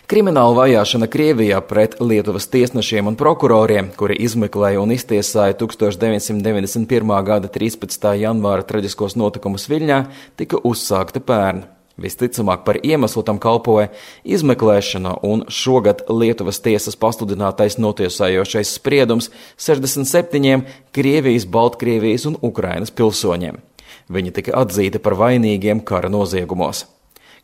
Krimināla vajāšana Krievijā pret Lietuvas tiesnešiem un prokuroriem, kuri izmeklēja un iztiesāja 1991. gada 13. janvāra traģiskos notikumus Viļņā, tika uzsākta pērn. Visticamāk par iemeslu tam kalpoja izmeklēšana un šogad Lietuvas tiesas pasludinātais notiesājošais spriedums 67 Krievijas, Baltkrievijas un Ukrainas pilsoņiem. Viņi tika atzīti par vainīgiem kara noziegumos.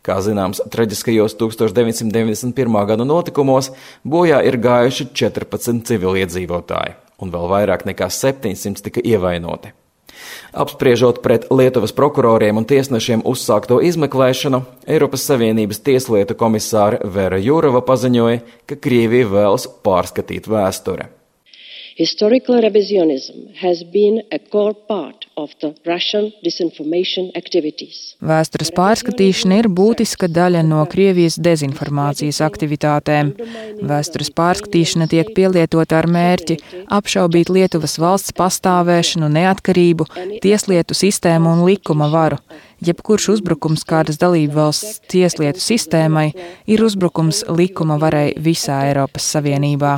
Kā zināms, traģiskajos 1991. gada notikumos bojā ir gājuši 14 civiliedzīvotāji, un vēl vairāk nekā 700 tika ievainoti. Apspriežot pret Lietuvas prokuroriem un tiesnešiem uzsākto izmeklēšanu, Eiropas Savienības tieslietu komisāre Vera Jurova paziņoja, ka Krievija vēlas pārskatīt vēsturi. Historical revisionism has been a core part of the Russian disinformation activities. Vēstures pārskatīšana ir būtiska daļa no Krievijas dezinformācijas aktivitātēm. Vēstures pārskatīšana tiek pielietota ar mērķi apšaubīt Lietuvas valsts pastāvēšanu, neatkarību, tieslietu sistēmu un likuma varu. Jebkurš uzbrukums kādas dalībvalsts tieslietu sistēmai ir uzbrukums likuma varai visā Eiropas Savienībā.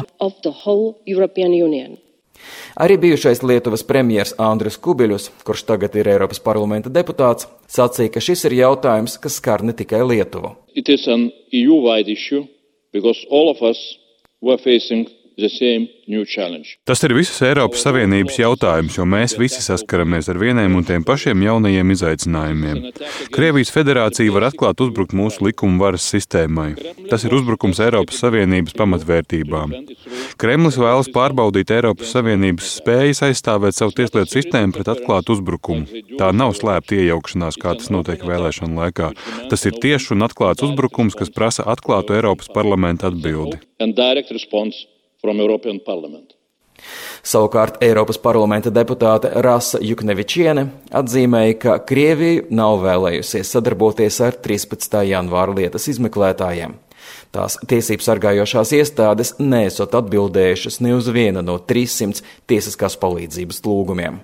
Arī bijušais Lietuvas premjers Andris Kubiļus, kurš tagad ir Eiropas parlamenta deputāts, sacīja, ka šis ir jautājums, kas skar ne tikai Lietuvu. It is an EU-wide issue because all of us were facing the same new challenge. Tas ir visas Eiropas Savienības jautājums, jo mēs visi saskaramies ar vieniem un tiem pašiem jaunajiem izaicinājumiem. Krievijas federācija var atklāt uzbrukt mūsu likuma varas sistēmai. Tas ir uzbrukums Eiropas Savienības pamatvērtībām. Kremlis vēlas pārbaudīt Eiropas Savienības spējas aizstāvēt savu tieslietu sistēmu pret atklātu uzbrukumu. Tā nav slēpta iejaukšanās, kā tas notiek vēlēšanu laikā. Tas ir tieši un atklāts uzbrukums, kas prasa atklātu Eiropas parlamenta atbildi. Savukārt Eiropas parlamenta deputāte Rasa Juknevičiene atzīmēja, ka Krievija nav vēlējusies sadarboties ar 13. janvāra lietas izmeklētājiem. Tās tiesību sargājošās iestādes neesot atbildējušas ne uz vienu no 300 tiesiskās palīdzības lūgumiem.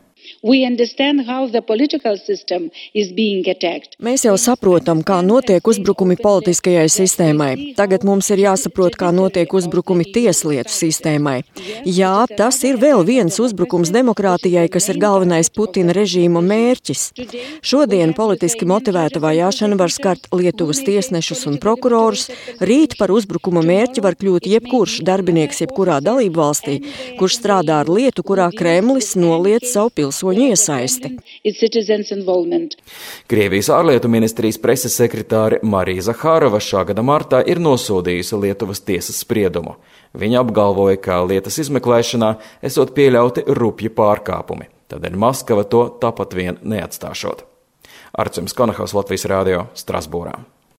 Mēs jau saprotam, kā notiek uzbrukumi politiskajai sistēmai. Tagad mums ir jāsaprot, kā notiek uzbrukumi tieslietu sistēmai. Jā, tas ir vēl viens uzbrukums demokrātijai, kas ir galvenais Putina režīma mērķis. Šodien politiski motivēta vajāšana var skart Lietuvas tiesnešus un prokurorus. Rīt par uzbrukuma mērķi var kļūt jebkurš darbinieks jebkurā dalību valstī, kurš strādā ar lietu, kurā Kremlis noliedz savu pilsoņu iesaisti. Krievijas ārlietu ministrijas preses sekretāre Marija Zahārova šā gada martā ir nosodījusi Lietuvas tiesas spriedumu. Viņa apgalvoja, ka lietas izmeklēšanā esot pieļauti rupji pārkāpumi. Tādēļ Maskava to tāpat vien neatstāšot. Arcims Konahaus, Latvijas radio, Strasbūrā.